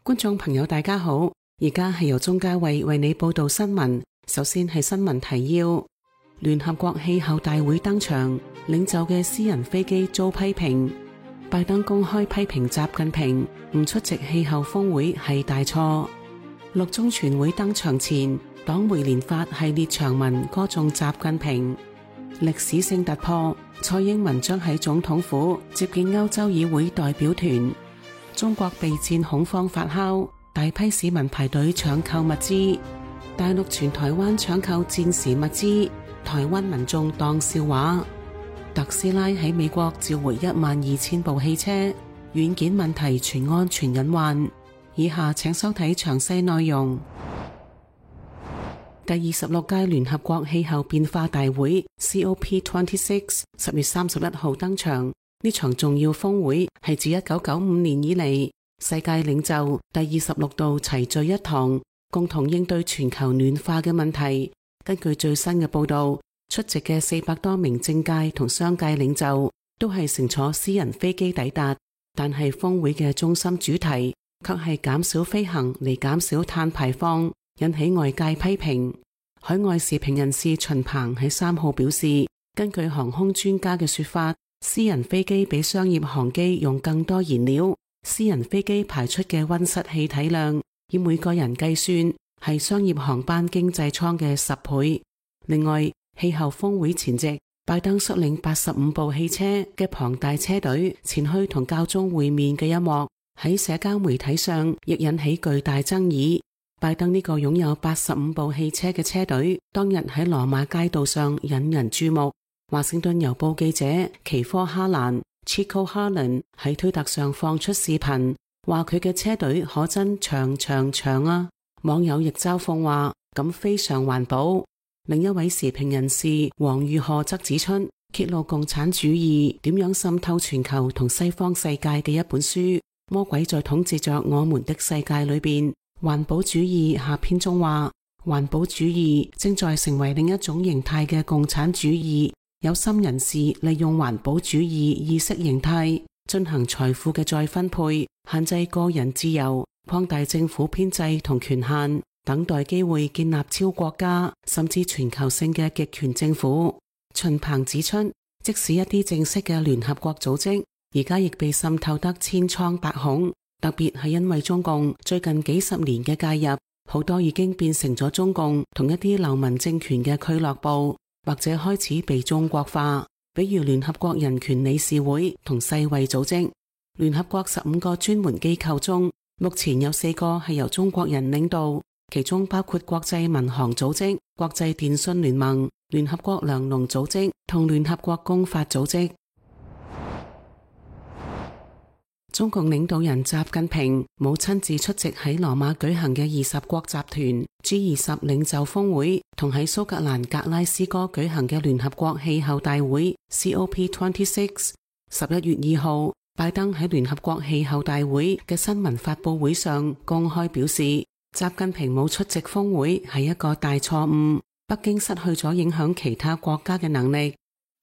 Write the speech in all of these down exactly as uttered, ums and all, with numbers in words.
觀眾朋友大家好，而家係由鍾嘉慧為你報道新聞。首先係新聞提要：聯合國氣候大會登場，領袖嘅私人飛機遭批評。拜登公開批評習近平唔出席氣候峰會係大錯。六中全會登場前，黨媒連發系列長文歌頌習近平。歷史性突破，蔡英文將喺總統府接見歐洲議會代表團。中國備戰恐慌發酵，大批市民排隊搶購物資。大陸全台灣搶購戰時物資，台灣民眾當笑話。特斯拉喺美國召回一萬二千部汽車，軟件問題傳安全隱患。以下請收睇詳細內容。第二十六屆聯合國氣候變化大會 C O P 二十六 十月三十一號登場。呢場重要峰會係自一九九五年以嚟，世界領袖第二十六度齊聚一堂，共同應對全球暖化嘅問題。根據最新嘅報道，出席嘅四百多名政界同商界領袖都係乘坐私人飛機抵達，但係峰會嘅中心主題卻係減少飛行嚟減少碳排放，引起外界批評。海外時評人士秦鵬喺三號表示，根據航空專家嘅說法，私人飛機比商業航機用更多燃料，私人飛機排出嘅溫室氣體量以每個人計算係商業航班經濟艙嘅十倍。另外，氣候峰會前夕，拜登率領八十五部汽車嘅龐大車隊前去同教宗會面嘅一幕喺社交媒體上亦引起巨大爭議。拜登呢個擁有八十五部汽車嘅車隊當日喺羅馬街道上引人注目。華盛頓郵報記者奇科哈蘭 Chico Harlan 喺推特上放出視頻，話佢嘅車隊可真長長長啊！網友亦嘲諷話咁非常環保。另一位時評人士黃玉賀則指出，揭露共產主義點樣滲透全球同西方世界嘅一本書《魔鬼在統治着我們的世界》裏邊，環保主義下篇中話，環保主義正在成為另一種形態嘅共產主義。有心人士利用環保主義意識形態進行財富嘅再分配，限制個人自由，擴大政府編制同權限，等待機會建立超國家甚至全球性嘅極權政府。秦鵬指出，即使一啲正式嘅聯合國組織而家亦被滲透得千瘡百孔，特別係因為中共最近幾十年嘅介入，好多已經變成咗中共同一啲流氓政權嘅俱樂部，或者開始被中國化，比如聯合國人權理事會同世衛組織。聯合國十五個專門機構中，目前有四個係由中國人領導，其中包括國際民航組織、國際電訊聯盟、聯合國糧農組織同聯合國公法組織。中共領導人習近平冇親自出席喺羅馬舉行嘅二十國集團 G 二十領袖峰會，同喺蘇格蘭格拉斯哥舉行嘅聯合國氣候大會 C O P 二十六。十一月二號，拜登喺聯合國氣候大會嘅新聞發佈會上公開表示，習近平冇出席峰會係一個大錯誤，北京失去咗影響其他國家嘅能力。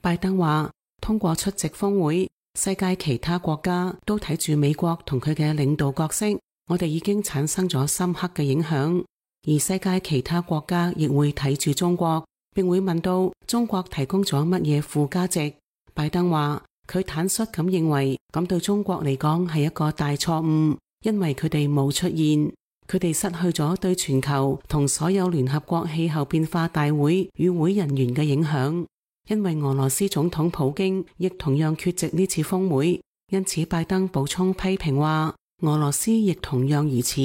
拜登話，通過出席峰會，世界其他國家都睇住美國同佢嘅領導角色，我哋已經產生咗深刻嘅影響，而世界其他國家亦會睇住中國，並會問到中國提供咗乜嘢附加值。拜登話，佢坦率咁認為咁對中國嚟講係一個大錯誤，因為佢哋冇出現，佢哋失去咗對全球同所有聯合國氣候變化大會與會人員嘅影響。因為俄羅斯總統普京亦同樣缺席呢次峰會，因此拜登補充批評話，俄羅斯亦同樣如此。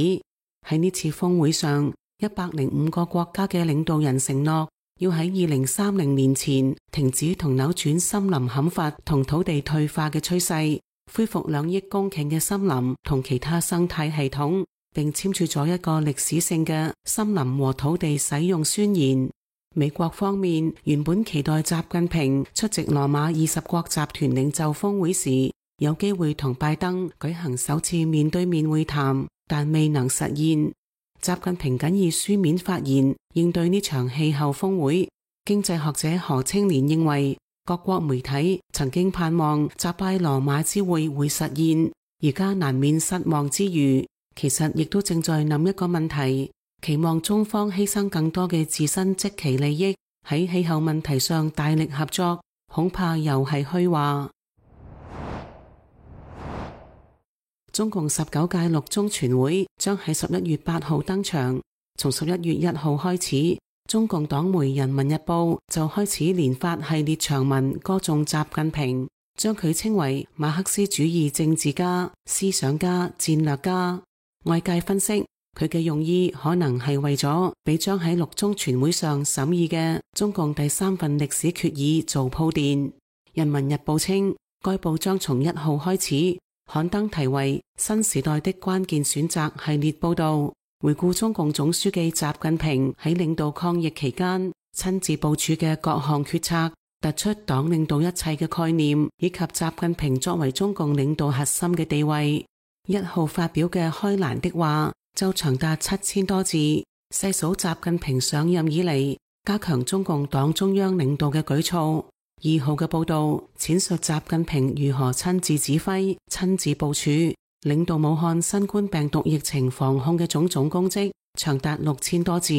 喺呢次峰會上，一百零五個國家嘅領導人承諾要喺二零三零年前停止同扭轉森林砍伐同土地退化嘅趨勢，恢復兩億公頃嘅森林同其他生態系統，並簽署咗一個歷史性嘅森林和土地使用宣言。美國方面原本期待習近平出席羅馬二十國集團領袖峰會時，有機會同拜登舉行首次面對面會談，但未能實現。習近平僅以書面發言應對呢場氣候峰會。經濟學者何清漣認為，各國媒體曾經盼望習拜羅馬之會會實現，而家難免失望之餘，其實亦都正在諗一個問題，期望中方犧牲更多嘅自身即期利益，喺氣候問題上大力合作，恐怕又係虛話。中共十九屆六中全會將喺十一月八號登場，從十一月一號開始，中共黨媒《人民日報》就開始連發系列長文歌頌習近平，將佢稱為馬克思主義政治家、思想家、戰略家。外界分析，佢嘅用意可能係為咗俾將喺六中全會上審議嘅中共第三份歷史決議做鋪墊。人民日報稱，該報將從一號開始刊登題為《新時代的關鍵選擇》系列報道，回顧中共總書記習近平喺領導抗疫期間親自部署嘅各項決策，突出黨領導一切嘅概念，以及習近平作為中共領導核心嘅地位。一號發表嘅開欄的話就長達七千多字，細數習近平上任以嚟加強中共黨中央領導嘅舉措。二號嘅報道闡述習近平如何親自指揮、親自部署、領導武漢新冠病毒疫情防控嘅種種功績，長達六千多字。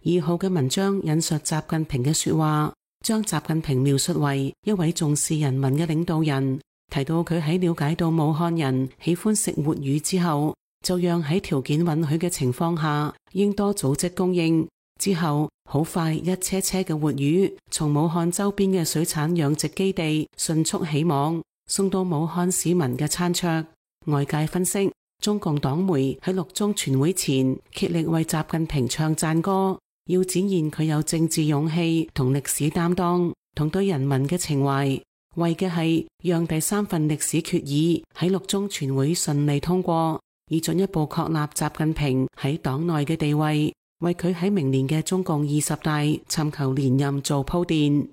二號嘅文章引述習近平嘅說話，將習近平描述為一位重視人民嘅領導人。提到佢喺了解到武漢人喜歡食活魚之後，就讓喺條件允許嘅情況下，應多組織供應。之後好快一車車嘅活魚從武漢周邊嘅水產養殖基地迅速起網，送到武漢市民嘅餐桌。外界分析，中共黨媒喺六中全會前竭力為習近平唱讚歌，要展現佢有政治勇氣同歷史擔當同對人民嘅情懷，為嘅係讓第三份歷史決議喺六中全會順利通過，以進一步確立習近平喺黨內嘅地位，為佢喺明年嘅中共二十大尋求連任做鋪墊。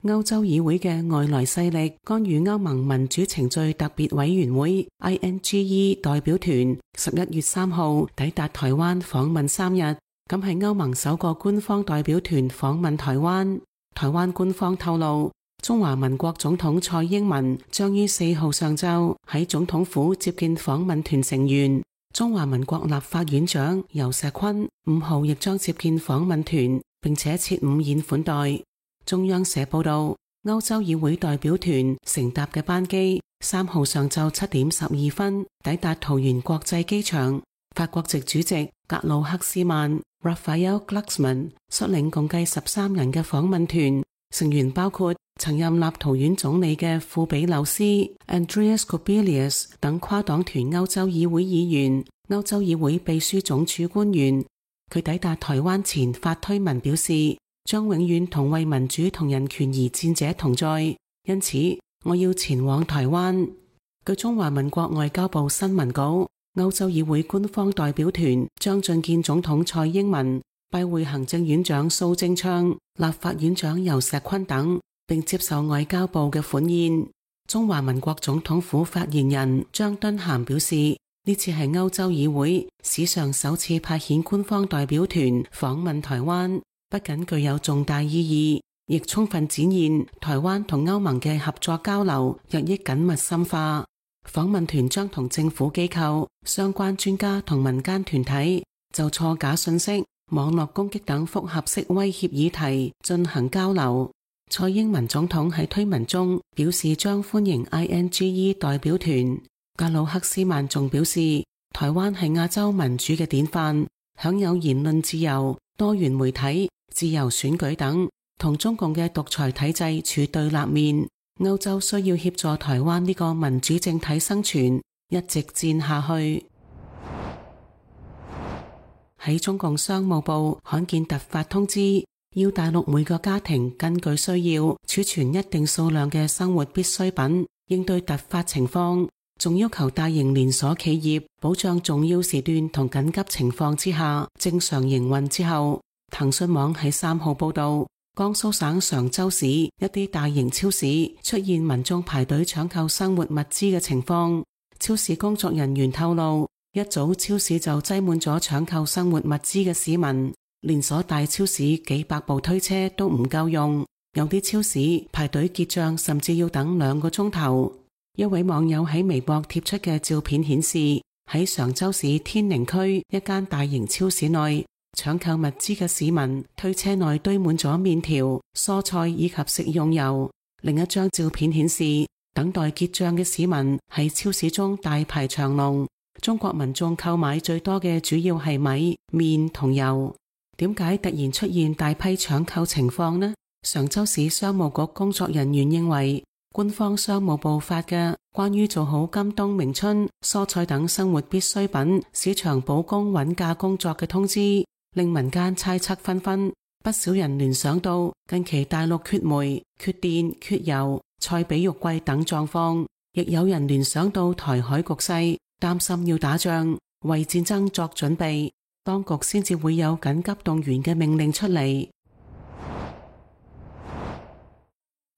歐洲議會嘅外來勢力干預歐盟民主程序特別委員會 I N G E 代表團十一月三號抵達台灣訪問三日，咁係歐盟首個官方代表團訪問台灣。台灣官方透露，中華民國總統蔡英文將於四號上晝喺總統府接見訪問團成員。中華民國立法院長游錫堃五號亦將接見訪問團，並且設午宴款待。中央社報道，歐洲議會代表團乘搭嘅班機三號上晝七點十二分抵達桃園國際機場。法國籍主席格魯克斯曼 Raphael Glucksmann 率領共計十三人嘅訪問團，成員包括曾任立陶宛總理嘅庫比柳斯 Andreas Kubilius 等跨黨團歐洲議會議員、歐洲議會秘書總署官員。佢抵達台灣前發推文表示，將永遠同為民主同人權而戰者同在，因此我要前往台灣。據中華民國外交部新聞稿，歐洲議會官方代表團將覲見總統蔡英文，拜會行政院長蘇貞昌、立法院長游錫堃等，並接受外交部嘅歡宴。中華民國總統府發言人張敦涵表示，呢次係歐洲議會史上首次派遣官方代表團訪問台灣，不僅具有重大意義，亦充分展現台灣同歐盟嘅合作交流日益緊密深化。訪問團將同政府機構、相關專家同民間團體就錯假信息、網絡攻擊等複合式威脅議題進行交流。蔡英文總統喺推文中表示將歡迎 I N G E 代表團。格魯克斯曼仲表示，台灣係亞洲民主嘅典範，享有言論自由、多元媒體、自由選舉等，同中共嘅獨裁體制處對立面。歐洲需要協助台灣呢個民主政體生存，一直戰下去。喺中共商務部罕見突發通知，要大陸每個家庭根據需要儲存一定數量嘅生活必需品，應對突發情況。仲要求大型連鎖企業保障重要時段同緊急情況之下正常營運之後，騰訊網喺三號報道，江蘇省常州市一啲大型超市出現民眾排隊搶購生活物資嘅情況。超市工作人員透露，一早超市就擠滿咗搶購生活物資嘅市民，連鎖大超市幾百部推車都唔夠用，有啲超市排隊結賬甚至要等兩個鐘頭。一位網友喺微博貼出嘅照片顯示，喺常州市天寧區一間大型超市內，搶購物資嘅市民推車內堆滿咗麵條、蔬菜以及食用油。另一張照片顯示，等待結賬嘅市民喺超市中大排長龍。中國民眾購買最多嘅主要係米、麵同油。點解突然出現大批搶購情況呢？常州市商務局工作人員認為，官方商務部發嘅關於做好今冬明春蔬菜等生活必需品市場保供穩價工作嘅通知，令民間猜測紛紛。不少人聯想到近期大陸缺煤、缺電、缺油、菜比肉貴等狀況，亦有人聯想到台海局勢，擔心要打仗，為戰爭作準備，當局先至會有緊急動員嘅命令出嚟。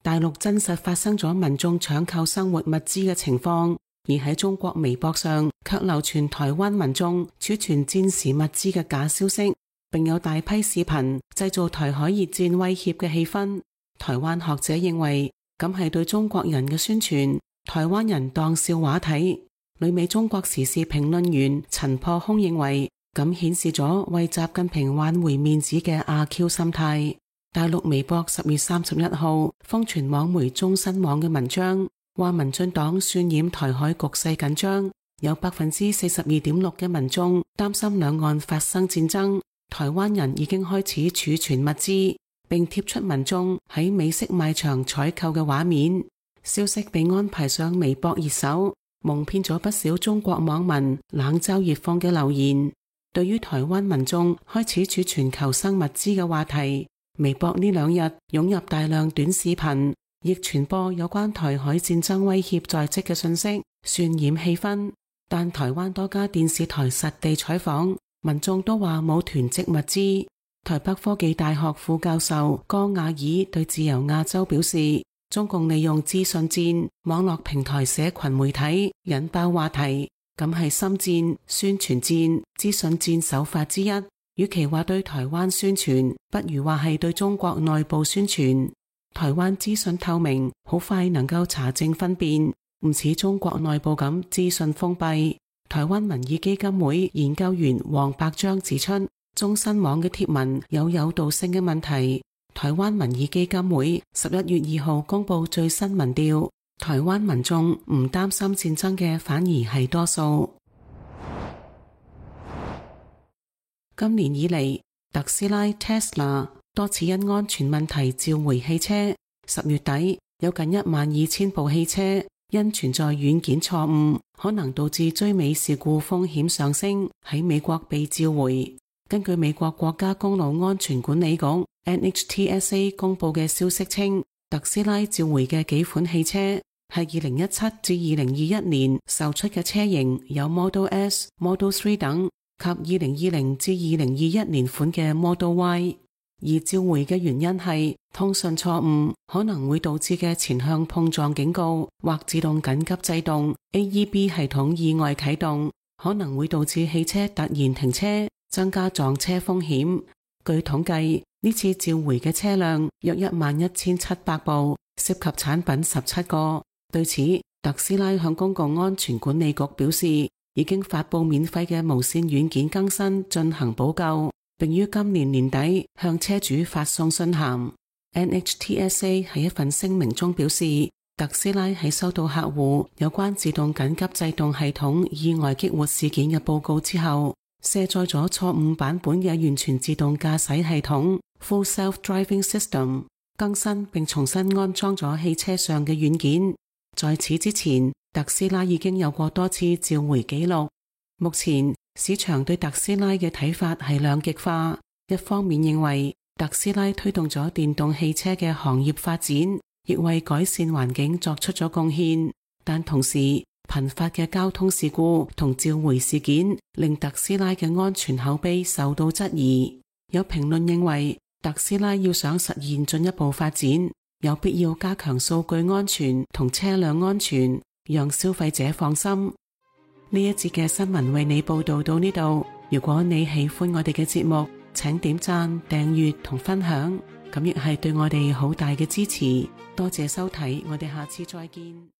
大陸真實發生咗民眾搶購生活物資嘅情況，而喺中國微博上卻流傳台灣民眾儲存戰時物資嘅假消息，並有大批視頻製造台海熱戰威脅嘅氣氛。台灣學者認為，咁係對中國人嘅宣傳，台灣人當笑話睇。旅美中國時事評論員陳破空認為，咁顯示咗為習近平挽回面子嘅阿 Q 心態。大陸微博十月三十一號瘋傳網媒中新網嘅文章，話民進黨渲染台海局勢緊張，有百分之四十二點六嘅民眾擔心兩岸發生戰爭。台灣人已經開始儲存物資，並貼出民眾喺美式賣場採購嘅畫面。消息被安排上微博熱搜，蒙騙咗不少中國網民冷嘲熱諷嘅留言。對於台灣民眾開始儲存求生物資嘅話題，微博呢兩日湧入大量短視頻，亦傳播有關台海戰爭威脅在即嘅信息，渲染氣氛。但台灣多家電視台實地採訪，民眾都話冇囤積物資。台北科技大學副教授江亞爾對自由亞洲表示，中共利用資訊戰、網絡平台、社群媒體引爆話題，咁係心戰、宣傳戰、資訊戰手法之一。與其話對台灣宣傳，不如話係對中國內部宣傳。台灣資訊透明，好快能夠查證分辨，唔似中國內部咁資訊封閉。台灣民意基金會研究員黃伯章指出，中新網嘅貼文有誘導性嘅問題。台灣民意基金會十一月二號公布最新民調，台灣民眾唔擔心戰爭嘅反而係多數。今年以嚟，特斯拉 Tesla 多次因安全問題召回汽車。十月底有近一萬二千部汽車因存在軟件錯誤，可能導致追尾事故風險上升，喺美國被召回。根據美國國家公路安全管理局 N H T S A 公布嘅消息稱，特斯拉召回嘅幾款汽車係二零一七至二零二一年售出嘅車型，有 Model S、Model 三等，及二零二零至二零二一年款嘅 Model Y。 而召回嘅原因係通訊錯誤可能會導致嘅前向碰撞警告或自動緊急制動 A E B 系統意外啟動，可能會導致汽車突然停車，增加撞車風險。據統計，呢次召回嘅車輛約一萬一千七百部，涉及產品十七個。對此，特斯拉向公共安全管理局表示，已經發佈免費嘅無線軟件更新進行補救，並於今年年底向車主發送信函。N H T S A 喺一份聲明中表示，特斯拉喺收到客戶有關自動緊急制動系統意外激活事件嘅報告之後，卸載咗錯誤版本嘅完全自動駕駛系統 Full Self-Driving System， 更新並重新安裝咗汽車上嘅軟件。在此之前，特斯拉已經有過多次召回記錄。目前市場對特斯拉嘅睇法係兩極化，一方面認為特斯拉推動咗電動汽車嘅行業發展，亦為改善環境作出咗貢獻，但同時頻發嘅交通事故同召回事件令特斯拉嘅安全口碑受到質疑。有評論認為，特斯拉要想實現進一步發展，有必要加強數據安全同車輛安全，讓消費者放心。呢一節嘅新聞為你報道到呢度。如果你喜歡我哋嘅節目，請點讚、訂閱同分享，咁亦係對我哋好大嘅支持。多謝收睇，我哋下次再見。